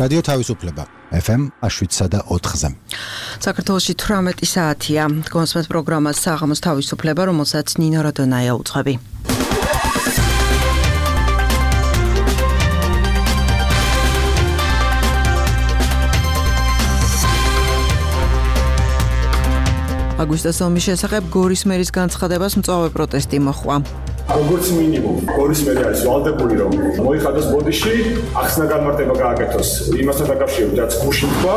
რადიო თავისუფლება FM 7.4-ზე. საქართველოში 18 საათია. კონსმეთ პროგრამას საღამოს თავისუფლება, რომელსაც ნინო როდონაია უძღვები. აგვისტოს ომის შესახებ გორის მერის განცხადებას მწვავე პროტესტი მოჰყვა. როგორც მინიმუმ, გორის მერი არის ვალდებული, რომ მოიხადოს ბოდიში, ახსნა განმარტება გააკეთოს იმასთან დაკავშირებით, რაც გუშინ თქვა,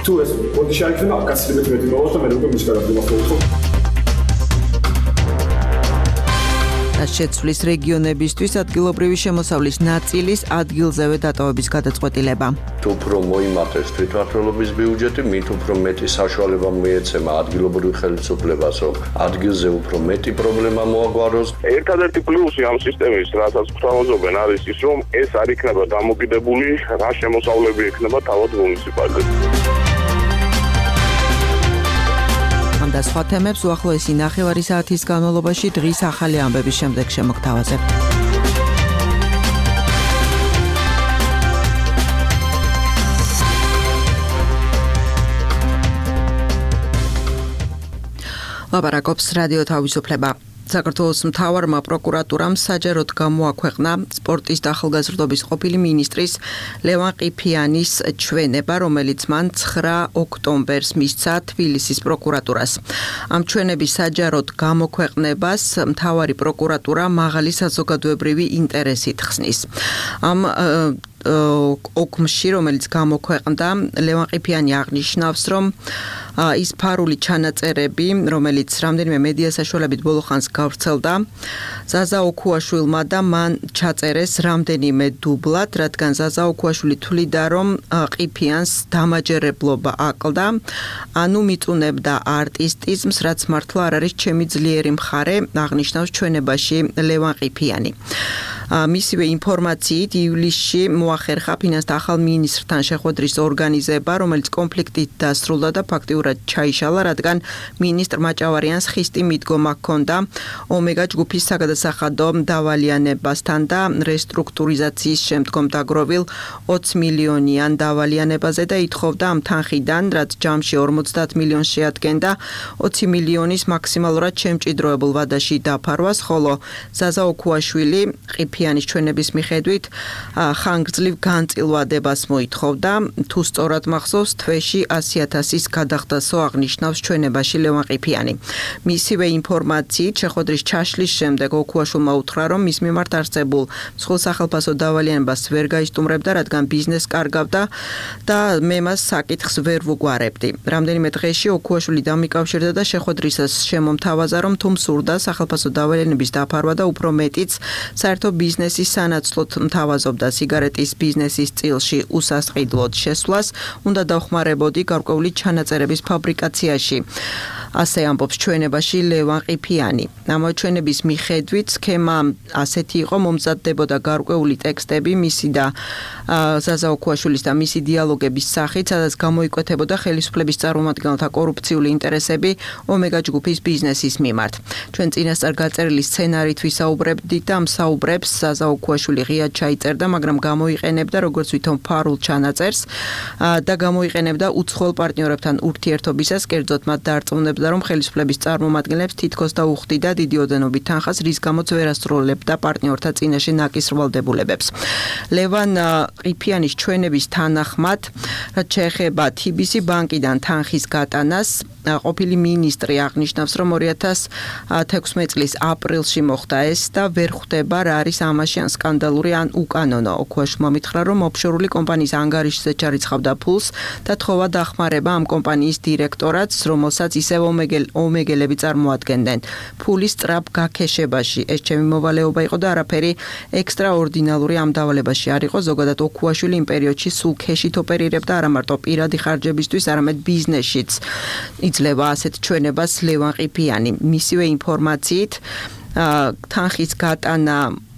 თუ ეს ბოდიში არ იქნება, გასცილებით მეტი მოვაყოთ და მე უკვე მის გადაგდება ხოლმე. შეცვლის რეგიონებისთვის ადგილობრივი შემოსავლის ნაწილის ადგილზევე დატოვების გადაწყვეტილება. თუ უფრო მოიმართეს თვითმმართველობის ბიუჯეტი, მით უფრო მეტი საშუალება მიეცემა ადგილობრივ ხელისუფლებას, რომ ადგილზე უფრო მეტი პრობლემა მოაგვაროს. ერთადერთი პლუსი ამ სისტემის, რასაც გვთავაზობენ, არის ის, რომ ეს არ იქნება დამოკიდებული, რა შემოსავლები ექნება თავად მუნიციპალიტეტს. და სხვა თემებს უახლოესი ნახევარი საათის განმავლობაში დღის ახალი ამბების შემდეგ შემოგთავაზებთ. ლაპარაკობს რადიო თავისუფლება. საქართველოს მთავარმა პროკურატურამ საჯაროდ გამოაქვეყნა სპორტის და ახალგაზრდობის ყოფილი მინისტრის ლევან ყიფიანის ჩვენება, რომელიც მან 9 ოქტომბერს მისცა თბილისის პროკურატურას. ამ ჩვენების საჯაროდ გამოქვეყნებას მთავარი პროკურატურა მაღალი საზოგადოებრივი ინტერესით ხსნის. ამ ოქმში, რომელიც გამოქვეყნდა, ლევან ყიფიანი აღნიშნავს, რომ ის ფარული ჩანაწერები, რომელიც რამდენიმე მედია საშუალებით ბოლოხანს გავრცელდა, ზაზა ოქუაშვილმა და მან ჩაწერეს რამდენიმე დუბლად, რადგან ზაზა ოქუაშვილი თვლიდა, რომ ყიფიანს დამაჯერებლობა აკლდა, ანუ მიწუნებდა არტისტიზმს, რაც მართლა არ არის ჩემი ძლიერი მხარე, აღნიშნავს ჩვენებაში ლევან ყიფიანი. მისივე ინფორმაციით ივლისში მოახერხა ფინანსთა ახალ მინისტრთან შეხვედრის ორგანიზება, რომელიც კონფლიქტით დასრულდა და ფაქტიურად ჩაიშალა, რადგან მინისტრ მაჭავარიანს ხისტი მიდგომა ჰქონდა ომეგა ჯგუფის საგადასახადო დავალიანებასთან და რესტრუქტურიზაციის შემდგომ დაგროვილ 20 მილიონიან დავალიანებაზე და ითხოვდა ამ თანხიდან, რაც ჯამში 50 მილიონს შეადგენდა, 20 მილიონის მაქსიმალურად შემჭიდროებულ ვადაში დაფარვას, ხოლო ზაზა ოქუაშვილი ყიფიანის ჩვენების მიხედვით ხანგრძლივ განწილვადებას მოითხოვდა, თუ სწორად მახსოვს, თვეში 100,000-ის გადახდასო აღნიშნავს ჩვენებაში ლევან ყიფიანი. მისივე ინფორმაციით შეხვედრის ჩაშლის შემდეგ ოქუაშვილმა უთხრა, რომ მის მიმართ არსებულ მსხვილ სახელფასო დავალიანებას ვერ გაისტუმრებდა, რადგან ბიზნესს კარგავდა და მე მას საკითხს ვერ ვუგვარებდი. რამდენიმე დღეში ოქუაშვილი დამიკავშირდა და შეხვედრისას შემომთავაზა, რომ თუ მსურდა სახელფასო დავალიანების დაფარვა და უფრო მეტიც საერთო ბიზნესის სანაცვლოდ მთავაზობდა სიგარეტის ბიზნესის წილში უსასყიდლოდ შესვლას, უნდა დავხმარებოდი გარკვეული ჩანაწერების ფაბრიკაციაში. ასე ამბობს ჩვენებაში ლევან ყიფიანი. ამ ჩვენების მიხედვით სქემა ასეთი იყო, მომზადდებოდა გარკვეული ტექსტები მისი და ზაზა ოქუაშვილის და მისი დიალოგების სახით, სადაც გამოიკვეთებოდა ხელისუფლების წარმომადგენელთა კორუფციული ინტერესები ომეგა ჯგუფის ბიზნესის მიმართ. ჩვენ წინასწარ გაწერილი სცენარით ვისაუბრებდით და ამ საუბრებს ზაზა ოქუაშვილი ღიად ჩაიწერდა, მაგრამ გამოიყენებდა როგორც ვითომ ფარულ ჩანაწერს და გამოიყენებდა უცხოელ პარტნიორებთან ურთიერთობისას, კერძოდ მათ დაარწმუნებდა, რომ ხელისუფლების წარმომადგენლებს თითქოს და უხდიდა დიდი ოდენობით თანხას, რის გამოც ვერ ასრულებდა პარტნიორთა წინაშე ნაკის ვალდებულებებს. ლევან ყიფიანის ჩვენების თანახმად, რაც შეეხება TBC ბანკიდან თანხის გატანას, ყოფილი მინისტრი აღნიშნავს, რომ 2016 წლის აპრილში მოხდა ეს და ვერ ხვდება რა არის ამაში ან სკანდალური ან უკანონო. ოქუაშვილმა მითხრა, რომ ოფშორული კომპანიის ანგარიშზე ჩარიცხავდა ფულს და თხოვა დახმარება ამ კომპანიის დირექტორატს, რომელსაც ისევ ომეგელები წარმოადგენდნენ. ფულის სწრაფ გაქეშებაში ეს ჩემი მოვალეობა იყო და არაფერი ექსტრაორდინალური ამ დავალებაში არ იყო. ზოგადად ოქუაშვილი იმ პერიოდში სულ ქეშით ოპერირებდა, არა მარტო პირადი ხარჯებისთვის, არამედ ბიზნესშიც. იძლევა ასეთ ჩვენებას ლევან ყიფიანი. მისივე ინფორმაციით თანხის გატანა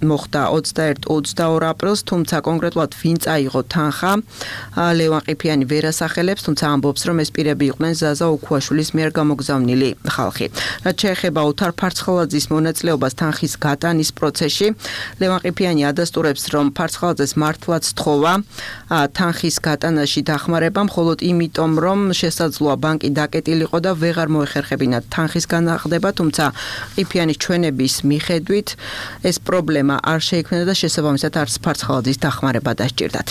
მოხდა 21-22 აპრილს, თუმცა კონკრეტულად ვინ წაიღო თანხა, ლევან ყიფიანი ვერ ასახელებს, თუმცა ამბობს, რომ ეს პირები იყვნენ ზაზა ოქუაშვილის მიერ გამოგზავნილი ხალხი. რაც შეეხება ოთარ ფარცხალაძის მონაწილეობას თანხის გატანის პროცესში, ლევან ყიფიანი ადასტურებს, რომ ფარცხალაძეს მართლაც თხოვა თანხის გატანაში დახმარება, მხოლოდ იმიტომ, რომ შესაძლოა ბანკი დაკეტილიყო და ვეღარ მოეხერხებინა თანხის განახლება, თუმცა ყიფიანის ჩვენების მიხედვით ეს პრობლემა არ შეიქმნა და შესაბამისად არც ფარცხალაძის დახმარება დასჭირდათ.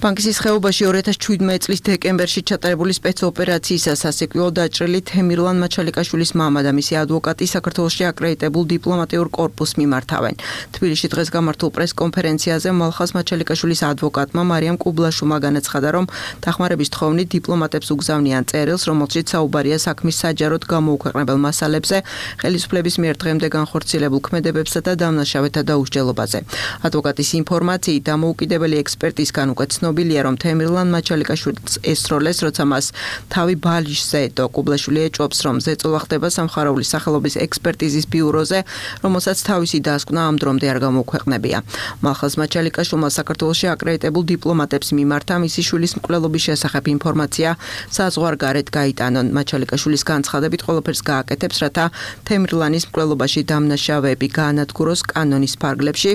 ბანკის ის ხეობაში 2017 წლის დეკემბერში ჩატარებული სპეცოპერაციისას სასიკვდილო დაჭრილი თემირლან მაჩალიკაშვილის მამა და მისი ადვოკატი საქართველოში აკრედიტებულ დიპლომატიურ კორპუსს მიმართავენ. თბილისში დღეს გამართულ პრესკონფერენციაზე მალხაზ მაჩალიკაშვილის ადვოკატმა მარიამ კუბლაშვილმა განაცხადა, რომ დახმარების თხოვნით დიპლომატებს უგზავნიან წერილს, რომელშიც საუბარია საქმის საჯაროდ გამოუქვეყნებელ მასალებზე, ხელისუფლების მიერ დღემდე განხორციელებულ ქმედებებსა და დამნაშავეთა დაუსჯელობაზე. ადვოკატის ინფორმაციით დამოუკიდებელი ექსპერტისგან უკვე ცნობილია, რომ თემირლან მაჩალიკაშვილს ესროლეს, როცა მას თავი ბალიშზე ედო. კუბლაშვილი ეჭვობს, რომ ზეწოლა ხდება სამხაროვლის სახელობის ექსპერტიზის ბიუროზე, რომელსაც თავისი დასკვნა ამ დრომდე არ გამოუქვეყნებია. მალხაზ მაჩალიკაშვილმა საქართველოში აკრედიტებულ დიპლომატებს მიმართა მისი შვილის მკვლელობის შესახებ ინფორმაცია საზღვარგარეთ გაიტანონ. მაჩალიკაშვილის განცხადებით ყველაფერს გააკეთებს, რათა თემირლანის მკვლელობაში დამნაშავეები გაანადგუროს კანონის ფარგლებში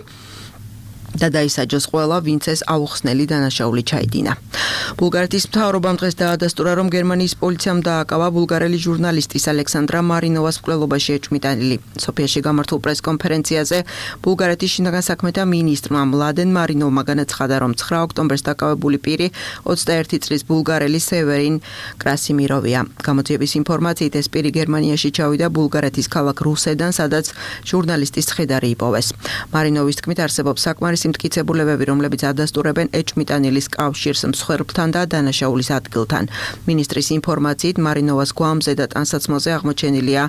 და დაისაჯოს ყველა, ვინც ეს აუხსნელი დანაშაული ჩაიდინა. ბულგარეთის მთავრობამ დღეს დაადასტურა, რომ გერმანიის პოლიციამ დააკავა ბულგარელი ჟურნალისტის ალექსანდრა მარინოვას მკვლელობაში ეჭვმიტანილი. სოფიაში გამართულ პრესკონფერენციაზე ბულგარეთის შინაგან საქმეთა მინისტრმა მლადენ მარინოვმა განაცხადა, რომ 9 ოქტომბერს დაკავებული პირი 21 წლის ბულგარელი სევერინ კრასიმიროვია. გამოძიების ინფორმაციით ეს პირი გერმანიაში ჩავიდა ბულგარეთის ქალაქ რუსედან, სადაც ჟურნალისტის ცხედარი იპოვეს. მარინოვის თქმით, არსებობს საკმარისი მტკიცებულებები, რომლებიც ადასტურებენ ეჭვმიტანილის კავშირს მსხვერპლთან და დანაშაულის ადგილთან. მინისტრის ინფორმაციით, მარინოვას გვამზე და ტანსაცმელზე აღმოჩენილია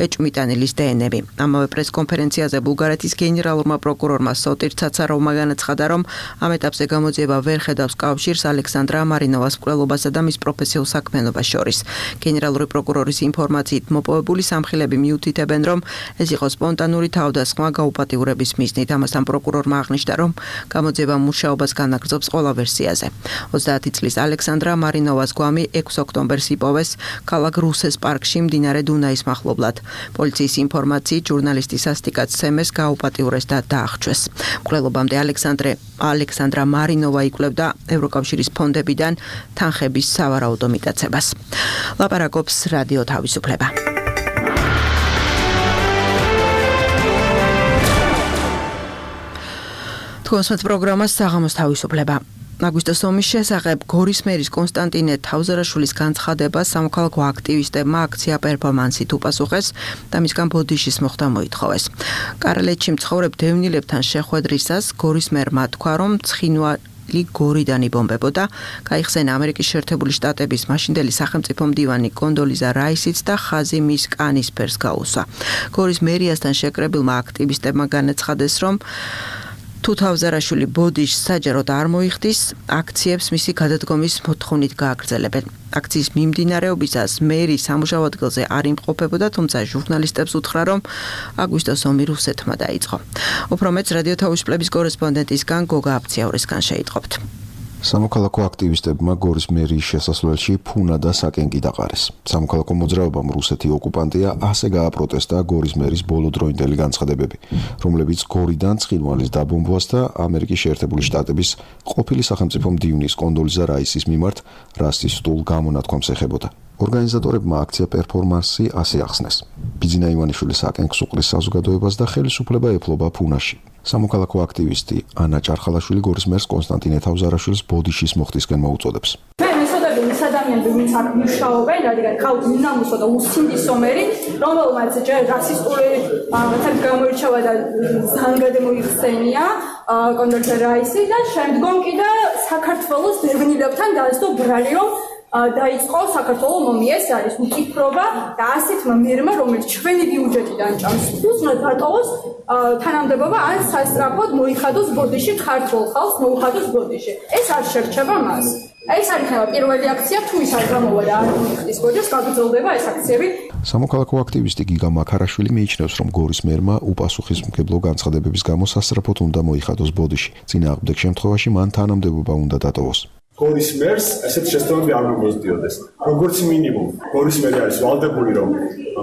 ეჭვმიტანილის დნმ-ები. ამავე პრესკონფერენციაზე ბულგარეთის გენერალურმა პროკურორმა სოტირ ცაცაროვმა განაცხადა, რომ ამ ეტაპზე გამოძიება ვერ ხედავს კავშირს ალექსანდრა მარინოვას მკვლელობასა და მის პროფესიულ საქმიანობას შორის. გენერალური პროკურორის ინფორმაციით, მოპოვებული სამხილები მიუთითებენ, რომ ეს იყო სპონტანური თავდასხმა გაუპატიურების მიზნით. ამასთან პროკურორმა აღნიშნა, რომ გამოძიება მუშაობას განაგრძობს ყველა ვერსიაზე. 30 წლის ალექსანდრა მარინოვას გვამი 6 ოქტომბერს იპოვეს ქალაქ რუსეს პარკში მდინარე დუნაის მახლობლად. პოლიციის ინფორმაციით, ჟურნალისტი სასტიკად სცემეს, გაუპატიურეს და დაახჩვეს. მკვლელობამდე ალექსანდრა მარინოვა იკვლევდა ევროკავშირის ფონდებიდან თანხების სავარაუდო მიტაცებას. ლაპარაკობს რადიო თავისუფლება. თქვენს პროგრამას საღამოს თავისუფლება. აგვისტოს ომის შესახებ გორის მერის კონსტანტინე თავზარაშვილის განცხადებას სამოქალაქო აქტივისტებმა აქცია პერფორმანსით უპასუხეს და მისგან ბოდიშის მოხდა მოითხოვეს. კარალეთში მცხოვრებ დევნილებთან შეხვედრისას გორის მერმა თქვა, რომ ცხინვალი გორიდან იბომბებოდა, გაიხსენა ამერიკის შეერთებული შტატების მაშინდელი სახელმწიფო მდივანი კონდოლიზა რაისიც და ხაზი მის კანისფერს გაუსვა. გორის მერიასთან შეკრებილმა აქტივისტებმა განაცხადეს, რომ თუ თავზარაშვილი ბოდიშს საჯაროდ არ მოიხდის, აქციებს მისი გადადგომის მოთხოვნით გააგრძელებენ. აქციის მიმდინარეობისას მერი სამუშაო ადგილზე არ იმყოფებოდა, თუმცა ჟურნალისტებს უთხრა, რომ აგვისტოს ომი რუსეთმა დაიწყო. უფრო მეც რადიო თავისუფლების კორესპონდენტისგან გოგა აბციაურისგან შეიტყობთ. სამოქალაქო აქტივისტებმა გორის მერიის შესასვლელში ფუნა და საკენკი დაყარეს. სამოქალაქო მოძრაობამ რუსეთი ოკუპანტია ასე გააპროტესტა გორის მერის ბოლოდროინდელი განცხადებები, რომლებიც გორიდან ცხინვალის დაბომბვას და ამერიკის შეერთებული შტატების ყოფილი სახელმწიფო მდივნის კონდოლიზა რაისის მიმართ რასისტულ გამონათქვამს ეხებოდა. ორგანიზატორებმა აქცია პერფორმანსი ასე ახსნეს. ბიძინა ივანიშვილი საკენკს უყრის საზოგადოებას და ხელისუფლება ეფლობა ფუნაში. სამოქალაქო აქტივისტი ანა ჭარხალაშვილი გორის მერს კონსტანტინე თავზარაშვილის ბოდიშის მოხდისკენ მოუწოდებს. მე მისოდები ის ადამიანები, ვინც აქ მუშაობენ, რადგან ყავთ მინამუსო და უსინდი სომერი, რომელმაც ჯერ რასისტული რაღაცები გამოირჩევა და ზანგადე მოიხსენია კონდოლიზა რაისი და შემდგომ კიდე საქართველოს დევნილებთან დაასწრო ბრალი, რომ დაიწყო საქართველოს ომი, ეს არის უკიფრობა და ასეთმა მერმა, რომელიც ჩვენი ბიუჯეტიდან ჭამს, უცნაოდ დატოვოს თანამდებობა ან სასწრაფოდ მოიხადოს ბოდიში, ქართულ ხალხს მოუხადოს ბოდიში. ეს არ შერჩება მას. ეს არის პირველი აქცია, თუ ის არ გამოვა და არ მოიხდის ბოდიშს, გაგრძელდება ეს აქციები. სამოქალაქო აქტივისტი გიგა მაქარაშვილი მიიჩნევს, რომ გორის მერმა უპასუხისმგებლო განცხადებების გამო სასწრაფოდ უნდა მოიხადოს ბოდიში. წინააღმდეგ შემთხვევაში მან თანამდებობა უნდა დატოვოს. გორის მერს ესეთი შესწავლები არ მოგვიწევდეს. როგორც მინიმუმ, გორის მერი არის ვალდებული, რომ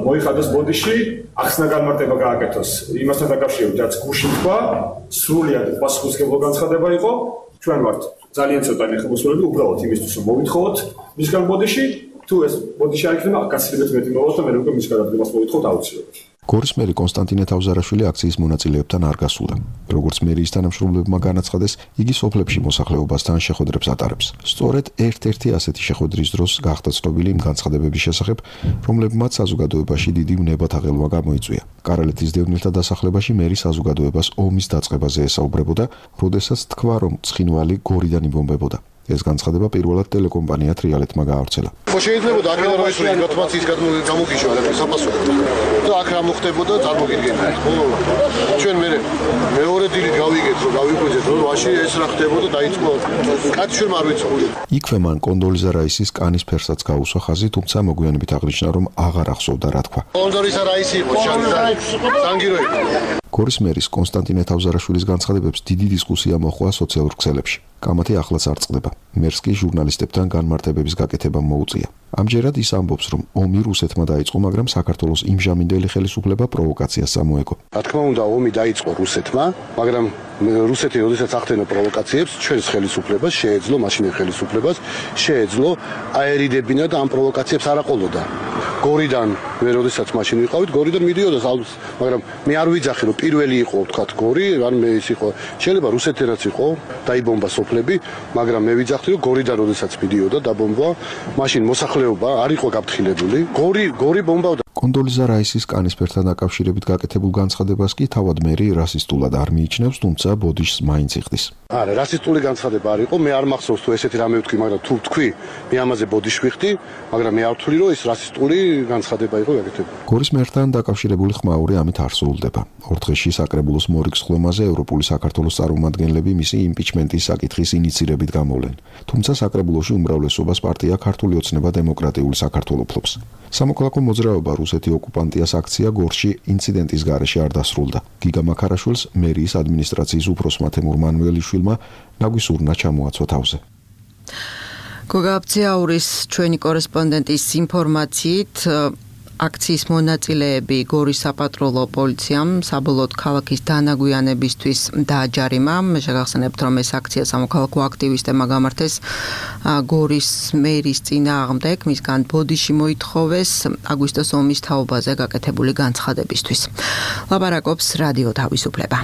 მოიხადოს ბოდიში, ახსნა განმარტება გააკეთოს იმასთან დაკავშირებით, რაც გუშინ თქვა, სრულად პასუხისმგებლო განცხადება იყო. ჩვენ ვართ ძალიან ცოტა ნახევარსფეროები, უბრალოდ იმისთვის, რომ მოვითხოთ მისგან ბოდიში, თუ ეს ბოდიში არ იქნება, გასაგებად მეტი მოვალს და მე უკვე მის გადადგმას მოვითხოთ აუცილებლად. გორის მერი კონსტანტინე თავზარაშვილი აქციის მონაწილეებთან არ გასულა. როგორც მერიის თანამშრომლებმა განაცხადეს, იგი სოფლებში მოსახლეობასთან შეხვედრებს ატარებს. სწორედ ერთ-ერთი ასეთი შეხვედრის დროს გახდა ცნობილი იმ განცხადებების შესახებ, რომლებმაც საზოგადოებაში დიდი ვნებათაღელვა გამოიწვია. კარალეთის დევნილთა დასახლებაში მერი საზოგადოებას ომის დაწყებაზე ესაუბრებოდა, როდესაც თქვა, რომ ცხინვალი გორიდან იბომბებოდა. ეს განცხადება პირველად ტელეკომპანია ტრიალეთმა გაავრცელა. შეიძლება აქედან რომ ისური ინფორმაციის გამოგიშვა საპასუხოდ. და აქ რა მოხდებოდა წარმოგიდგენთ. ჩვენ მეორე დილით გავიგეთ, რომ გავიყვეთ, რომ ვაში ეს რა ხდებოდა დაიწყო. კაცი ჩვენ არ ვიცოდი. იქვე მან კონდოლიზა რაისის კანის ფერსაც გაუსვა ხაზი, თუმცა მოგვიანებით აღნიშნა, რომ აღარ ახსოვდა რა თქვა. კონდოლიზა რაისი იყო სანგირო იყო. გორის მერის კონსტანტინე თავზარაშვილის განცხადებებს დიდი დისკუსია მოჰყვა სოციალურ ქსელებში. კამათი ახლაც არ წყდება. მერს კი ჟურნალისტებთან განმარტებების გაკეთება მოუწია. ამჯერად ის ამბობს, რომ ომი რუსეთმა დაიწყო, მაგრამ საქართველოს იმჟამინდელი ხელისუფლება პროვოკაციას წამოეგო. რა თქმა უნდა, ომი დაიწყო რუსეთმა, მაგრამ რუსეთი როდესაც ახდენდა პროვოკაციებს, ჩვენს ხელისუფლებას შეეძლო, მაშინელ ხელისუფლებას შეეძლო აერიდებინა და ამ პროვოკაციებს არ აყოლოდა. გორიდან მე როდესაც მაშინ ვიყავით, გორიდან მიდიოდა ალბათ, მაგრამ მე არ ვიძახი, რომ პირველი იყო, თქვა გორი, ან მე ის იყო. შეიძლება რუსეთთანაც იყო, დაიბომბა სოფლები, მაგრამ მე ვიძახდი, რომ გორიდან როდესაც მიდიოდა, დაბომბვა, მაშინ მოსახლეობა არ იყო გაფრთხილებული. გორი ბომბავდა. კონდოლიზა რაისის კანისფერთან დაკავშირებით გაკეთებულ განცხადებას კი თავად მერი რასისტულად არ მიიჩნევს, თუმცა ბოდიშს მაინც იხდის. არა, რასისტული განცხადება არ იყო, მე არ მახსოვს თუ ესეთი რამე ვთქვი, მაგრამ თუ ვთქვი, მე ამაზე ბოდიში ვიხდი, მაგრამ მე არ ვთვლი, რომ ეს რასისტული განცხადება იყო გაკეთებული. გორის მერთან დაკავშირებული ხმაური ამით არ სრულდება. ორ დღეში საკრებულოს მორიგ სხდომაზე ევროპული საქართველოს წარმომადგენლები მისი იმპიჩმენტის საკითხის ინიცირებით გამოვლენ. თუმცა საკრებულოში უმრავლესობას პარტია ქართული ოცნება დემოკრატიული საქართველო ფლობს. სამოქალაქო მოძრაობა რუსეთი ოკუპანტიას აქცია გორში ინციდენტის გარეშე არ დასრულდა. გიგა მაქარაშვილს მერიის ადმინისტრაციის უფროსმა თემურ მანველიშვილმა ნაგვისურნა ჩამოაცვა თავზე. გოგაბციაურის ჩვენი კორესპონდენტის ინფორმაციით აქციის მონაწილეები გორის საპატრულო პოლიციამ საბოლოოდ ქალაქის დანაგვიანებისთვის დააჯარიმა. მე შეგახსენებთ, რომ ეს აქცია სამოქალაქო აქტივისტებმა გამართეს გორის მერის წინააღმდეგ, მისგან ბოდიში მოითხოვეს აგვისტოს ომის თაობაზე გაკეთებული განცხადებისთვის. ლაპარაკობს რადიო თავისუფლება.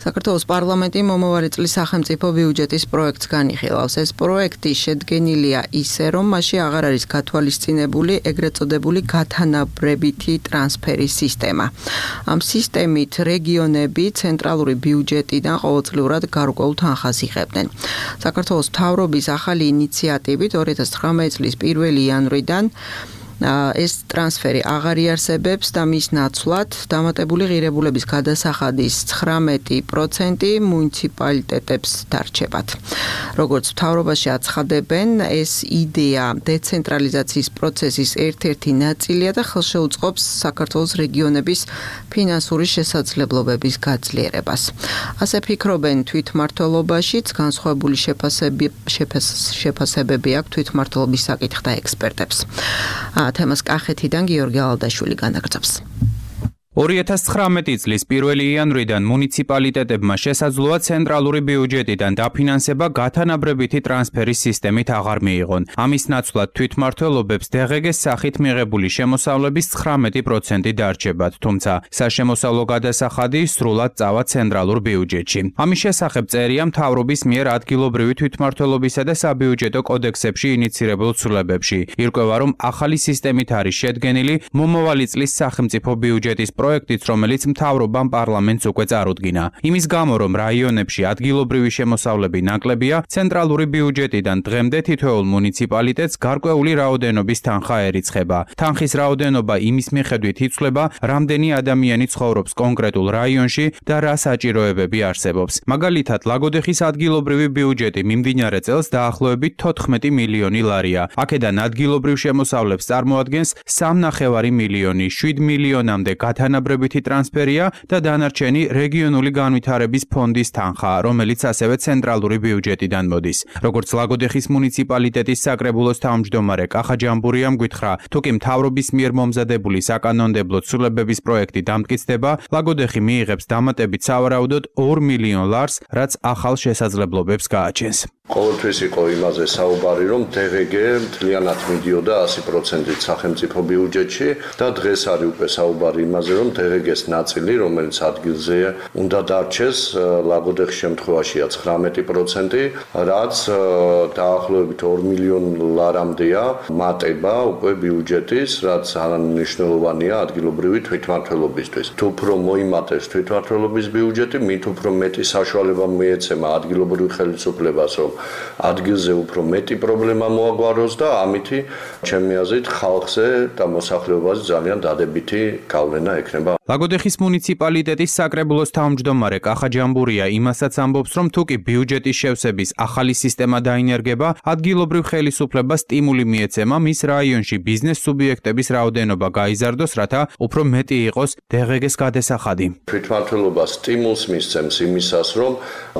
საქართველოს პარლამენტი მომავალი წლის სახელმწიფო ბიუჯეტის პროექტს განიხილავს. ეს პროექტი შედგენილია ისე, რომ მასში აღარ არის გათვალისწინებული ეგრეთ წოდებული გათანაბრებითი ტრანსფერის სისტემა. ამ სისტემით რეგიონები ცენტრალური ბიუჯეტიდან ყოველწლიურად გარკვეულ თანხას იღებდნენ. საქართველოს მთავრობის ახალი ინიციატივით 2019 წლის 1 იანვრიდან ეს ტრანსფერი აღარ იარსებებს და მის ნაცვლად დამატებული ღირებულების გადასახადის 19% მუნიციპალიტეტებს დარჩებათ. როგორც მთავრობაში აცხადებენ, ეს იდეა დეცენტრალიზაციის პროცესის ერთ-ერთი ნაწილია და ხელშეუწყობს საქართველოს რეგიონების ფინანსური შესაძლებლობების გაძლიერებას. ასე ფიქრობენ თვითმმართველობაშიც, განსხვავებული შეფასებები აქვს თვითმმართველობის საკითხთა ექსპერტებს. თემას კახეთიდან გიორგი ალადაშვილი განაგრძობს. 2019 წლის 1 იანვრიდან მუნიციპალიტეტებმა შესაძლოა ცენტრალური ბიუჯეტიდან დაფინანსება გათანაბრებითი ტრანსფერის სისტემით აღარ მიიღონ. ამის ნაცვლად თვითმმართველობებს დღგ-ის სახით მიღებული შემოსავლების 19% დარჩებათ, თუმცა საშემოსავლო გადასახადი სრულად წავა ცენტრალურ ბიუჯეტში. ამის შესახებ წერია მთავრობის მიერ ადგილობრივი თვითმმართველობისა და საბიუჯეტო კოდექსებში ინიცირებულ ცვლილებებში. ირკვევა, რომ ახალი სისტემით არის შედგენილი მომავალი წლის სახელმწიფო ბიუჯეტის პროექტიც, რომელიც მთავრობამ პარლამენტს უკვე წარუდგინა. იმის გამო, რომ რაიონებში ადგილობრივი შემოსავლები ნაკლებია, ცენტრალური ბიუჯეტიდან დღემდე თითოეულ მუნიციპალიტეტს გარკვეული რაოდენობის თანხა ერიცხება. თანხის რაოდენობა იმის მიხედვით იცვლება, რამდენი ადამიანი ცხოვრობს კონკრეტულ რაიონში და რა საჭიროებები არსებობს. მაგალითად, ლაგოდეხის ადგილობრივი ბიუჯეტი მიმდინარე წელს დაახლოებით 14 მილიონი ლარია. აქედან ადგილობრივ შემოსავლებს წარმოადგენს 3,5 მილიონი, 7 მილიონამდე გათანაბრებითი ტრანსფერია და დანარჩენი რეგიონული განვითარების ფონდის თანხა, რომელიც ასევე ცენტრალური ბიუჯეტიდან მოდის. როგორც ლაგოდეხის მუნიციპალიტეტის საკრებულოს თავმჯდომარე კახა ჯამბურიამ გითხრა, თუკი მთავრობის მიერ მომზადებული საკანონმდებლო ცვლილებების პროექტი დამტკიცდება, ლაგოდეხი მიიღებს დამატებით სავარაუდოდ 2 მილიონ ლარს, რაც ახალ შესაძლებლობებს გააჩენს. ყოველთვის იყო იმაზე საუბარი, რომ DGG მთლიანად მიდიოდა 100%-ით სახელმწიფო ბიუჯეტში და დღეს არის უკვე საუბარი იმაზე, რომ DGG-ს ნაწილი, რომელიც ადგილზე უნდა დარჩეს, ლაგოდეხის შემთხვევაშია 19%, რაც დაახლოებით 2 მილიონ ლარამდეა მატება უკვე ბიუჯეტის, რაც არამნიშვნელოვანია ადგილობრივი თვითმმართველობისთვის. თუ უფრო მოიმატებს თვითმმართველობის ბიუჯეტი, მით უფრო მეტი საშუალება მიეცემა ადგილობრივ ხელისუფლებას, რომ ადგილზე უფრო მეტი პრობლემა მოაგვაროს და ამითი ჩემი აზრით ხალხზე და მოსახლეობაზე ძალიან დადებითი გავლენა ექნება. ლაგოდეხის მუნიციპალიტეტის საკრებულოს თავმჯდომარე კახა ჯამბურია იმასაც ამბობს, რომ თუკი ბიუჯეტის შევსების ახალი სისტემა დაინერგება, ადგილობრივ ხელისუფლებას სტიმული მიეცემა მის რაიონში ბიზნეს სუბიექტების რაოდენობა გაიზარდოს, რათა უფრო მეტი იყოს DGG-ს გადასახადი. თვითმმართველობა სტიმულს მისცემს იმისას, რომ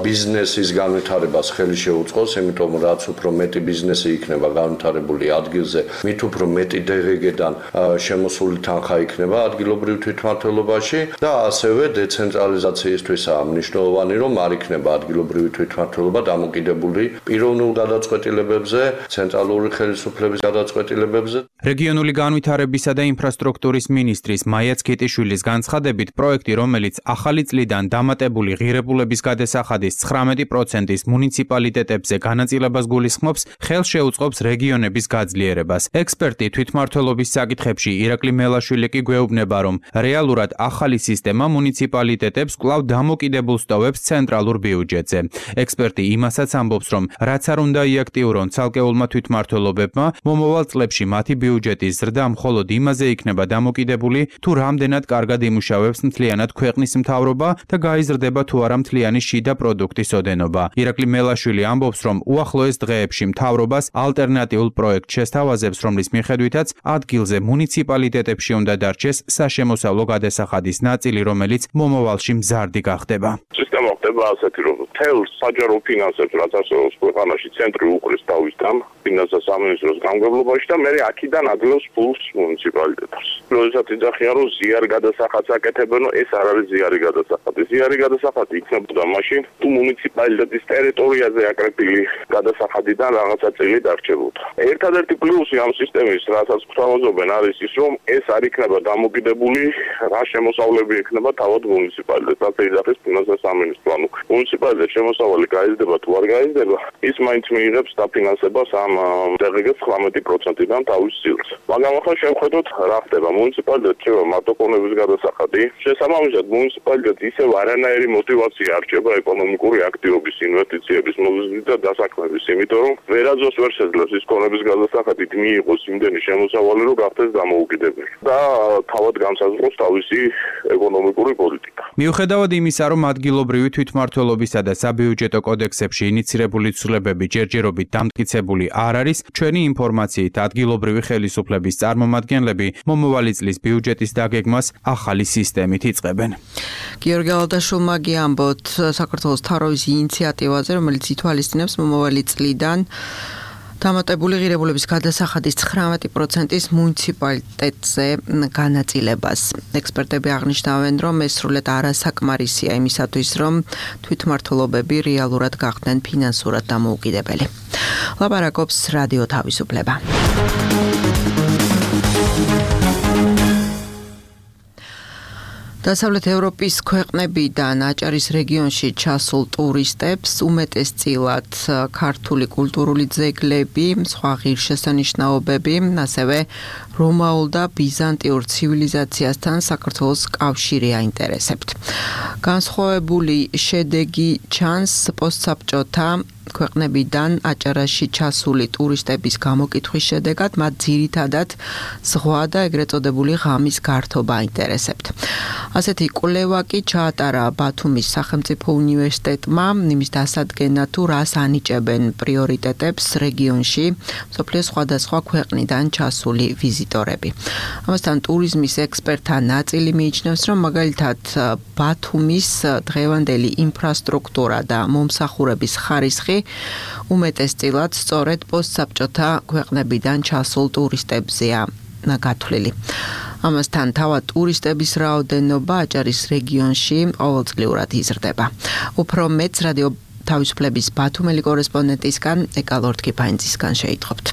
ბიზნესის განვითარებას ხელი შეუწყოს, იმიტომ რაც უფრო მეტი ბიზნესი იქნება განვითარებული ადგილზე, მით უფრო მეტი DGG-დან შემოსული თანხა იქნება ადგილობრივ თვითმმართველობაში და ასევე დეცენტრალიზაციისთვისაა მნიშვნელოვანი, რომ არ იქნება ადგილობრივი თვითმმართველობა დამოკიდებული პიროვნულ გადაწყვეტილებებზე, ცენტრალური ხელისუფლების გადაწყვეტილებებზე. რეგიონული განვითარებისა და ინფრასტრუქტურის მინისტრის მაია ცქიტიშვილის განცხადებით, პროექტი, რომელიც ახალი წლიდან დამატებული ღირებულების გადასახადის 19%-ის მუნიციპალიტეტებზე განაწილებას გულისხმობს, ხელს შეუწყობს რეგიონების გაძლიერებას. ექსპერტი თვითმმართველობის საკითხებში ირაკლი მელაშვილი კი გვეუბნება, რომ რეალურად ახალი სისტემა მუნიციპალიტეტებს კვლავ დამოკიდებულ სტოვებს ცენტრალურ ბიუჯეტზე. ექსპერტი იმასაც ამბობს, რომ რაც არ უნდა იაქტიურონ ცალკეულმა თვითმმართველობებმა, მომავალ წლებში მათი ბიუჯეტის ზრდა მხოლოდ იმაზე იქნება დამოკიდებული, თუ რამდენად კარგად იმუშავებს მთლიანად ქვეყნის მთავრობა და გაიზრდება თუ არა მთლიანი შიდა პროდუქტის ოდენობა. ირაკლი მელაშვილი ამბობს, რომ უახლოეს დღეებში მთავრობას ალტერნატიულ პროექტს შესთავაზებს, რომლის მიხედვითაც ადგილზე მუნიციპალიტეტებში უნდა დარჩეს საშემოსავლო გადასახადის ნაწილი, რომელიც მომავალში მზარდი გახდება. სისტემა ხდება ასეთი, რომ მთელ საჯარო ფინანსებს, რაც არსებობს ქვეყანაში, ცენტრი უყრის თავისთან ფინანსთა სამინისტროს გამგებლობაში და მერე აქედან ადლევს ფულს მუნიციპალიტეტებს. როდესაც იძახიან, რომ ზიარი გადასახადს აკეთებენ, ეს არ არის ზიარი გადასახადი. ზიარი გადასახადი იქნებოდა მაშინ, თუ მუნიციპალიტეტის ტერიტორიაზე აკრეფილი გადასახადიდან რაღაცა წილი დარჩებოდა. ერთადერთი პლუსი ამ სისტემის, რასაც გვთავაზობენ, არის ის, რომ ეს არ იქნება დამოკიდებული, რა შემოსავლები ექნება თავად მუნიციპალიტეტს. ასე იძახის ფინანსთა სამინისტრო. ანუ მუნიციპალიტეტის შემოსავალი გაიზრდება თუ არ გაიზრდება, ის მაინც მიიღებს დაფინანსებას ამ DGG-ს 19%-დან თავის სილს. მაგრამ ახლა შევხედოთ, რა ხდება. მუნიციპალიტეტს რჩება მარტოყონების გადასახადი. შესაბამისად, მუნიციპალიტეტს ისევ არანაირი мотиваცია არ რჩება ეკონომიკური აქტივობის, ინვესტიციების მოზიდვის და დასაქმების, იმიტომ რომ ვერაძოს ვერ შეძლებს ის ქონების გადასახადით მიიღოს იმდენი შემოსავალი, რომ გახდეს დამოუკიდებელი და თავად განსაზღვროს თავისი ეკონომიკური პოლიტიკა. მიუხედავად იმისა, რომ ადგილობრივი თვითმმართველობისა და საბიუჯეტო კოდექსებში ინიცირებული ცვლილებები ჯერჯერობით დამტკიცებული არ არის, ჩვენი ინფორმაციით ადგილობრივი ხელისუფლების წარმომადგენლები მომავალი წლის ბიუჯეტის დაგეგმას ახალი სისტემით იწყებენ. გიორგი ალდაშულმა გიამბოთ საქართველოს მთავრობის ინიციატივაზე, რომელიც ითვალისწინებს მომავალი წლიდან დამატებული ღირებულების გადასახადის 19%-ის მუნიციპალიტეტზე განაწილებას. ექსპერტები აღნიშნავენ, რომ ეს სრულად არასაკმარისია იმისათვის, რომ თვითმმართველობები რეალურად გახდნენ ფინანსურად დამოუკიდებელი. ლაპარაკობს რადიო თავისუფლება. დასავლეთ ევროპის ქვეყნებიდან აჭარის რეგიონში ჩასულ ტურისტებს უმეტესწილად ქართული კულტურული ძეგლები, სხვა ღირსშესანიშნაობები, ასევე რომაულ და ბიზანტიურ ცივილიზაციასთან საქართველოს კავშირი აინტერესებთ. განსხვავებული შედეგი ჩანს პოსტსაბჭოთა ქვეყნებიდან აჭარაში ჩასული ტურისტების გამოკითხვის შედეგად, მათ ძირითადად ზღვა და ეგრეთ წოდებული ღამის გართობა აინტერესებთ. ასეთი კვლევა კი ჩაატარა ბათუმის სახელმწიფო უნივერსიტეტმა იმის დასადგენად, თუ რას ანიჭებენ პრიორიტეტებს რეგიონში მსოფლიოს სხვადასხვა ქვეყნიდან ჩასული ვიზიტორები. ამასთან ტურიზმის ექსპერტთა ნაწილი მიიჩნევს, რომ მაგალითად ბათუმის დღევანდელი ინფრასტრუქტურა და მომსახურების ხარისხი უმეტესწილად სწორედ პოსტსაბჭოთა ქვეყნებიდან ჩასულ ტურისტებზეა გათვლილი. ამასთან თავად ტურისტების რაოდენობა აჭარის რეგიონში ყოველწლიურად იზრდება. უფრო მეც რადიო თავისუფლების ბათუმელი კორესპონდენტისგან ეკალორთქიფაინძისგან შეიტყობთ.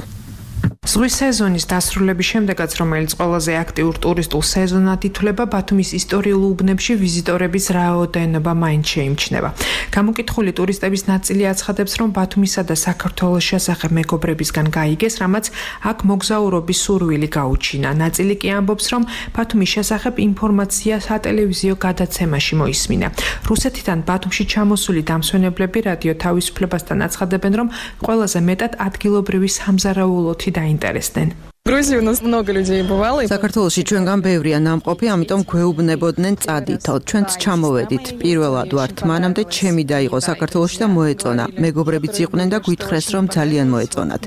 ზღვის სეზონის დასრულების შემდეგაც, რომელიც ყველაზე აქტიურ ტურისტულ სეზონად ითვლება, ბათუმის ისტორიულ უბნებში ვიზიტორების რაოდენობა მაინც შეიმჩნევა. გამოკითხული ტურისტების ნაწილი აცხადებს, რომ ბათუმისა და საქართველოს შესახებ მეგობრებისგან გაიგეს, რამაც აქ მოგზაურობის სურვილი გაუჩინა. ნაწილი კი ამბობს, რომ ბათუმის შესახებ ინფორმაცია სატელევიზიო გადაცემაში მოისმინა. რუსეთიდან ბათუმში ჩამოსული დამსვენებლები რადიო თავისუფლებასთან აცხადებენ, რომ ყველაზე მეტად ადგილობრივი სამზარეულოთი დაინტერესდნენ. Грузии у нас много людей бывало. საქართველოში ჩვენგან ბევრია ნამყოფი, ამიტომ გვეუბნებოდნენ წადითო. ჩვენც ჩამოვედით. პირველად ვართ, მანამდე ჩემი დაიღო საქართველოში და მოეწონა. მეგობრებიც იყვნენ და გვითხრეს, რომ ძალიან მოეწონათ.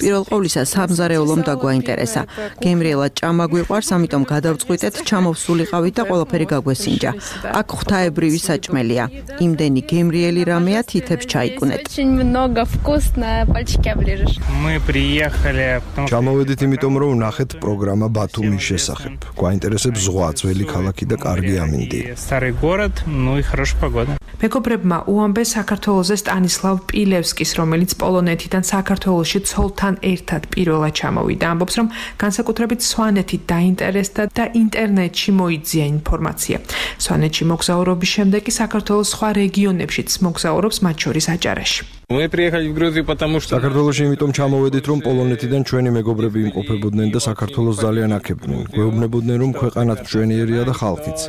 პირველ ყოვლისა სამზარეულომ დაგვაინტერესა. გემრიელად ჭამა გვიყვარს, ამიტომ გადავწყვიტეთ, ჩამოვსულიყავით და ყველაფერი გაგვესინჯა. აქ ღვთაებრივი საჭმელია. იმდენი გემრიელი რამეა, თითებს ჩაიკუნეთ. Очень много вкусно, пальчики оближешь. Мы приехали, ჩამოვედით იმიტომ რომ ვნახეთ პროგრამა ბათუმის შესახებ. გვაინტერესებს ზღვა, ძველი ქალაქი და კარგი ამინდი. Старый город, ну и хорошая погода. მეგობრებმა უამბეს საქართველოზე სტანისლავ პილევსკის, რომელიც პოლონეთიდან საქართველოში ცოლთან ერთად პირველად ჩამოვიდა. ამბობს, რომ განსაკუთრებით სვანეთით დაინტერესდა და ინტერნეტში მოიძია ინფორმაცია. სვანეთში მოგზაურობის შემდეგ კი საქართველოს სხვა რეგიონებშიც მოგზაურობს, მათ შორის აჭარაში. Мы приехали в Грузию, потому что საქართველოში იმიტომ ჩამოვედით, რომ პოლონეთიდან ჩვენი მეგობრები იმყოფებოდნენ და საქართველოს ძალიან აქებდნენ. გვეუბნებოდნენ, რომ ქვეყანაც მშვენიერია და ხალხიც.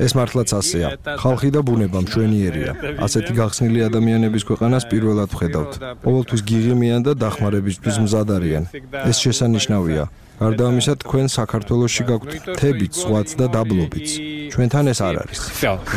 ეს მართლაც ასეა. ხალხი და ბუნება მშვენიერია. ასეთი გახსნილი ადამიანების ქვეყანას პირველად ვხედავთ. ყოველთვის გიღიმიან და დახმარებისთვის მზად არიან. ეს შესანიშნავია. გარდა ამისა, თქვენ საქართველოში გაქვთ მთებიც, ზღვაც და დაბლობიც. ჩვენთან ეს არ არის.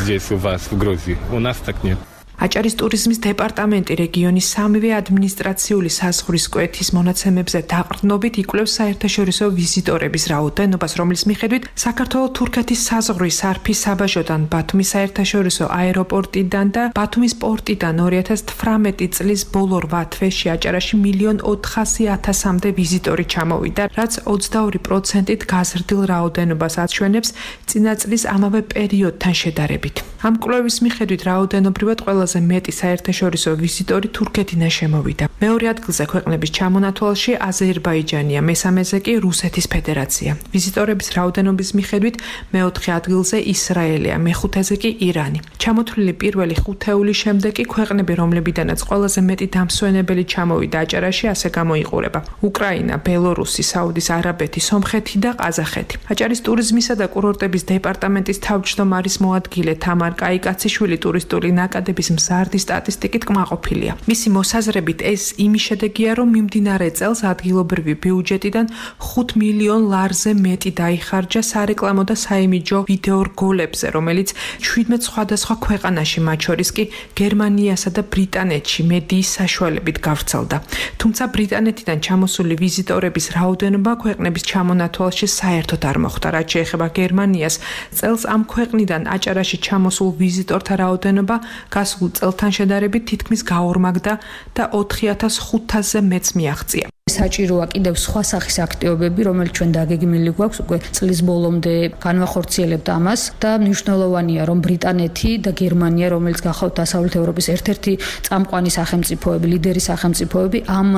здесь у вас в Грузии. У нас так нет. აჭარის ტურიზმის დეპარტამენტი რეგიონის სამივე ადმინისტრაციული საზღვრის კვეთის მონაცემებზე დაყრდნობით იკვლევს საერთაშორისო ვიზიტორების რაოდენობას, რომლის მიხედვით საქართველო-თურქეთის საზღვრის სარფის საბაჟოდან, ბათუმის საერთაშორისო აეროპორტიდან და ბათუმის პორტიდან 2018 წლის ბოლო 8 თვეში აჭარაში 1.400.000-მდე ვიზიტორი ჩამოვიდა, რაც 22%-ით გაზრდილ რაოდენობას აჩვენებს წინა წლის ამავე პერიოდთან შედარებით. ამ კვლევის მიხედვით რაოდენობრივად ყველაზე მეტი საერთაშორისო ვიზიტორი თურქეთიდან შემოვიდა. მეორე ადგილზე ქვეყნების ჩამონათვალში აზერბაიჯანია, მესამეზე კი რუსეთის ფედერაცია. ვიზიტორების რაოდენობის მიხედვით მეოთხე ადგილზე ისრაელია, მეხუთეზე კი ირანი. ჩამოთვლილი პირველი ხუთეულის შემდეგ კი ქვეყნები, რომლებიდანაც ყველაზე მეტი დამსვენებელი ჩამოვიდა აჭარაში, ასე გამოიყურება: უკრაინა, ბელორუსი, საუდის არაბეთი, სომხეთი და ყაზახეთი. აჭარის ტურიზმისა და კურორტების დეპარტამენტის თავმჯდომარის მოადგილე თამარ კაიკაციშვილი ტურისტული ნაკადების მზარდი სტატისტიკით კმაყოფილია. მისი მოსაზრებით ეს იმის შედეგია, რომ მიმდინარე წელს ადგილობრივი ბიუჯეტიდან 5 მილიონ ლარზე მეტი დაიხარჯა სარეკლამო და საიმიჯო ვიდეო რგოლებზე, რომელიც 17 სხვადასხვა ქვეყანაში, მათ შორის კი გერმანიასა და ბრიტანეთში მედიის საშუალებით გავრცელდა. თუმცა ბრიტანეთიდან ჩამოსული ვიზიტორების რაოდენობა ქვეყნების ჩამონათვალში საერთოდ არ მოხვდა. რაც შეეხება გერმანიას, წელს ამ ქვეყნიდან აჭარაში ჩამოსულ ვიზიტორთა რაოდენობა გასულ წელთან შედარებით თითქმის გაორმაგდა და 4500-ზე მეც მიაღწია. საჭიროა კიდევ სხვა სახის აქტივობები, რომელიც ჩვენ დაგეგმილი გვაქვს უკვე წლის ბოლომდე განვახორციელებთ ამას და მნიშვნელოვანია, რომ ბრიტანეთი და გერმანია, რომელიც გახავთ დასავლეთ ევროპის ერთ-ერთი წამყვანი სახელმწიფოები, ლიდერი სახელმწიფოები, ამ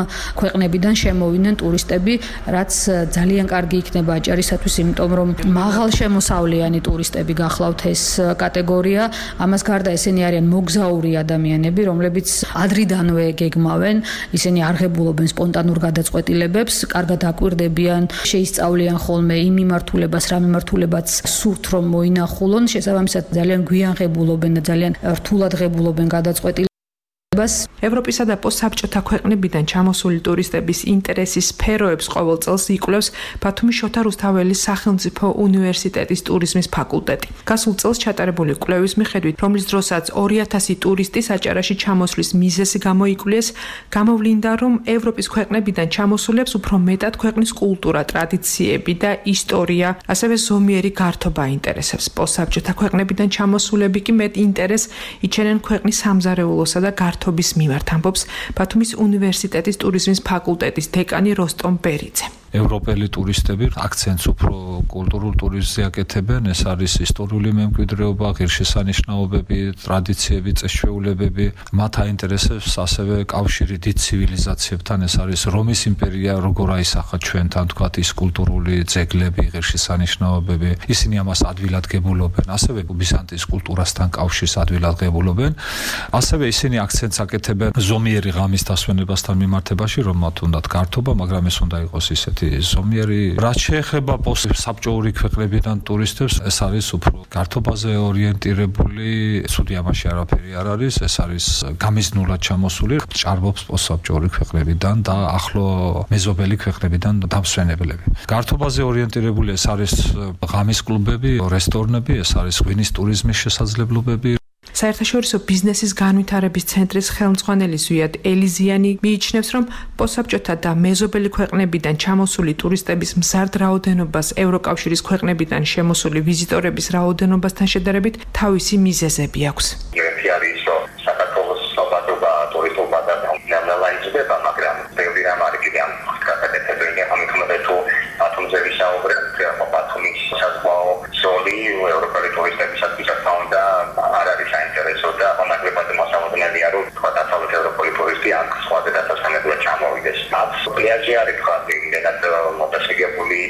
ქვეყნებიდან შემოვიდნენ ტურისტები, რაც ძალიან კარგი იქნება აჭარისათვის, იმიტომ რომ მაღალშემოსავლიანი ტურისტები გახლავთ ეს კატეგორია. ამას გარდა ესენი არიან მოგზაური ადამიანები, რომლებიც ადრიდანვე გეგმავენ, ისინი არღებულობენ სპონტანურ გადაწყვეტილებებს, კარგად აკვირდებიან, შეისწავლიან ხოლმე იმ მიმართულებას, რა მიმართულებაც სურთ რომ მოინახულონ, შესაბამისად ძალიან გვიანღებულობენ და ძალიან რთულად ღებულობენ გადაწყვეტილებებს. ევროპისა და პოსტსაბჭოთა ქვეყნებიდან ჩამოსული ტურისტების ინტერესის სფეროებს ყოველ წელს იკვლევს ბათუმის შოთა რუსთაველის სახელმწიფო უნივერსიტეტის ტურიზმის ფაკულტეტი. გასულ წელს ჩატარებული კვლევის მიხედვით, რომლის დროსაც 2000 ტურისტი საჭარაში ჩამოსვლის მიზეზი გამოიკვლიეს, გამოვლინდა, რომ ევროპის ქვეყნებიდან ჩამოსულებს უფრო მეტად ქვეყნის კულტურა, ტრადიციები და ისტორია, ასევე ზომიერი გართობა აინტერესებს. პოსტსაბჭოთა ქვეყნებიდან ჩამოსულები კი მეტ ინტერესს იჩენენ ქვეყნის სამზარეულოსა და გართობის მიმართ, ამბობს ბათუმის უნივერსიტეტის ტურიზმის ფაკულტეტის დეკანი როსტომ ბერიძე. ევროპელი ტურისტები აქცენტს უფრო კულტურულ ტურიზმზე აკეთებენ, ეს არის ისტორიული მემკვიდრეობა, ღირსშესანიშნაობები, ტრადიციები, წესჩვეულებები, მათ აინტერესებს ასევე კავშირი დიდ ცივილიზაციებთან, ეს არის რომის იმპერია, როგორ აისახა ჩვენთან, თქვათ, ის კულტურული ძეგლები, ღირსშესანიშნაობები, ისინი ამას ადვილად ასევე ბიზანტიის კულტურასთან კავშირს ადვილად ღებულობენ, ასევე ისინი აქცენტს აკეთებენ ზომიერი ღამის დასვენებასთან მიმართებაში, რომ მათ უნდათ გართობა, მაგრამ ეს უნდა იყოს ისეთი ზომიერი. რაც შეეხება პოსტსაბჭოური ქვეყნებიდან ტურისტებს, ეს არის უფრო გართობაზე ორიენტირებული, ცუდი ამაში არაფერი არ არის, ეს არის გამიზნულად ჩამოსული, ჭარბობს პოსტსაბჭოური ქვეყნებიდან და ახლო მეზობელი ქვეყნებიდან დამსვენებლები. გართობაზე ორიენტირებული ეს არის ღამის კლუბები, რესტორნები, ეს არის ღვინის ტურიზმის შესაძლებლობები. საერთაშორისო ბიზნესის განვითარების ცენტრის ხელმძღვანელი ზვიად ელიზიანი მიიჩნევს, რომ პოსტსაბჭოთა და მეზობელი ქვეყნებიდან ჩამოსული ტურისტების მზარდ რაოდენობას ევროკავშირის ქვეყნებიდან შემოსული ვიზიტორების რაოდენობასთან შედარებით თავისი მიზეზები აქვს. პლიაჟი არის ხალხი იმედად მოტაციგებული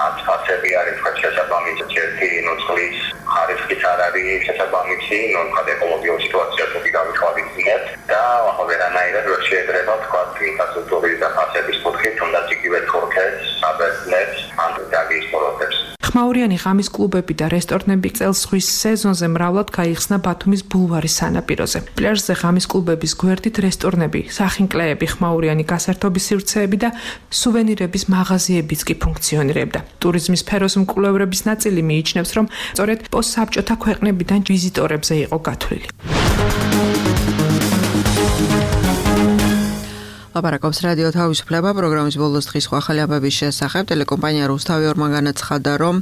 აცფასები არის შესაბამისი ჩერტი ნოცხლის ხარისხიც არ არის შესაბამისი ნოცხად ეკოლოგიურ სიტუაციას თუ გავიხვალისწინებთ და ვერანაირად ვერ შეიძლება თქვა ინფრასტრუქტურის და ფასების კუთხით თუნდაც იგივე თურქეთს, საბერძნეთს ან იტალიის პროექტებს. ხმაურიანი ღამის კლუბები და რესტორნები წელს ზღვის სეზონზე მრავლად გაიხსნა ბათუმის ბულვარის სანაპიროზე. პლაჟზე ღამის კლუბების გვერდით რესტორნები, სახინკლეები, ხმაურიანი გასართობის სივრცეები და სუვენირების მაღაზიებიც კი ფუნქციონირებდა. ტურიზმის სფეროს მკვლევრების ნაწილი მიიჩნევს, რომ სწორედ პოსტსაბჭოთა ქვეყნებიდან ვიზიტორებზე იყო გათვლილი. ლაპარაკობს რადიო თავისუფლება პროგრამის ბოლოს დღის სხვა ახალი ამბების შესახებ. ტელეკომპანია რუსთავი ორმა განაცხადა, რომ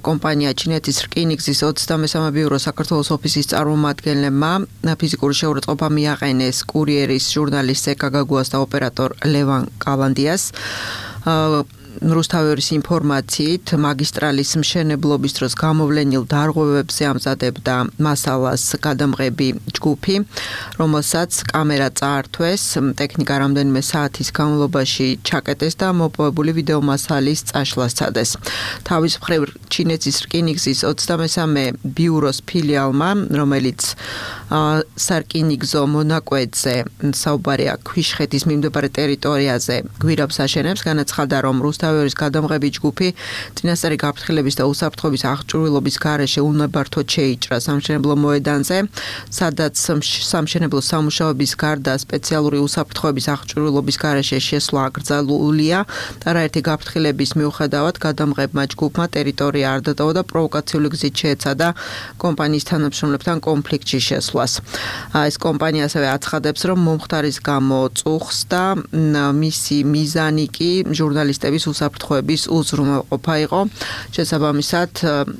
კომპანია ჩინეთის რკინიგზის 23 ბიურო საქართველოს ოფისის წარმომადგენლებმა ფიზიკური შეურაცხყოფა მიაყენეს კურიერის ჟურნალისტ ზეკა გაგუას და ოპერატორ ლევან კალანდიას. რუსთავის ინფორმაციით მაგისტრალის მშენებლობის დროს გამოვლენილ დარღვევებზე ამზადებდა მასალას გადამღები ჯგუფი, რომელსაც კამერა წაართვეს, ტექნიკა რამდენიმე საათის განმავლობაში ჩაკეტეს და მოპოვებული ვიდეო მასალის წაშლა სცადეს. თავის მხრივ ჩინეთის რკინიგზის 23 ბიუროს ფილიალმა, რომელიც სარკინიგზო მონაკვეთზე საუბარია ქვიშხეთის მიმდებარე ტერიტორიაზე გვირაბს აშენებს, განაცხადა, რომ რუსთავის გადამღები ჯგუფი წინასწარი გაფრთხილების და უსაფრთხოების აღჭურვილობის გარეშე უნებართოდ შეიჭრა სამშენებლო მოედანზე, სადაც სამშენებლო სამუშაოების გარდა სპეციალური უსაფრთხოების აღჭურვილობის გარეშე შესვლა აკრძალულია და არაერთი გაფრთხილების მიუხედავად გადამღებმა ჯგუფმა ტერიტორია არ დატოვა და პროვოკაციული გზით შეეცადა კომპანიის თანამშრომლებთან კონფლიქტში შესვლას. ეს კომპანია ასევე აცხადებს, რომ მომხდარის გამო წუხს და მისი მიზანი კი ჟურნალისტების მოსაფრთხოების უზრუნველყოფა იყო. შესაბამისად,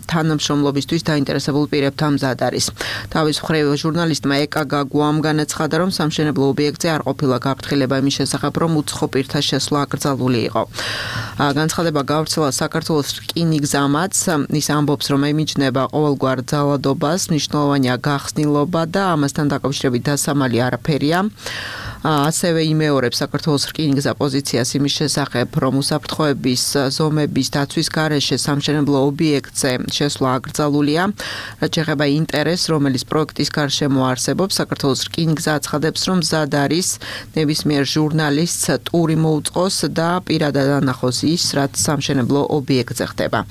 თანამშრომლობისთვის დაინტერესებულ პირებთან მზად არის. თავის მხრივ ჟურნალისტმა ეკა გაგუამ განაცხადა, რომ სამშენებლო ობიექტზე არ ყოფილა გაფრთხილება იმის შესახებ, რომ უცხო პირთა შესვლა აკრძალული იყო. განცხადება გავრცელა საქართველოს რკინიგზამაც. ის ამბობს, რომ ემიჯნება ყოველგვარ ძალადობას, მნიშვნელოვანია გახსნილობა და ამასთან დაკავშირებით დასამალი არაფერია. ასევე იმეორებს საქართველოს რკინიგზა პოზიციას იმის შესახებ, რომ უსაფრთხოების ზომების დაცვის გარეშე სამშენებლო ობიექტზე შესვლა აკრძალულია. რაც შეეხება ინტერესს, რომელიც პროექტის გარშემო არსებობს, საქართველოს რკინიგზა აცხადებს, რომ მზად არის ნებისმიერ ჟურნალისტს ტური მოუწყოს და პირადად ანახოს ის, რაც სამშენებლო ობიექტზე ხდება.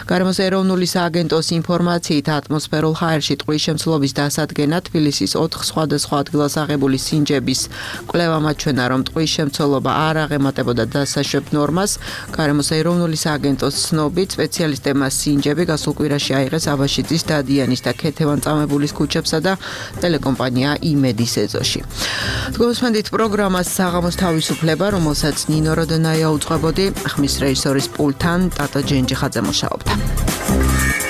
გარემოს ეროვნული სააგენტოს ინფორმაციით, ატმოსფერულ ჰაერში ტყვის შემცველობის დასადგენად თბილისის 4 სხვადასხვა ადგილას აღებული სინჯების კვლევა მაჩვენა, რომ ტყვის შემცველობა არ აღემატებოდა დასაშვებ ნორმას. გარემოს ეროვნული სააგენტოს ცნობით, სპეციალისტებმა სინჯები გასულ კვირაში აიღეს აბაშიძის, დადიანის და ქეთევან-წამებულის ქუჩებსა და ტელეკომპანია იმედის ეზოში. თქვენს პროგრამას საღამოს თავისუფლება, რომელსაც ნინო როდონაია უძღვებოდი, ხმის რეჟისორის პულტთან ტატო ჯენჯიხაძე მუშაობდა.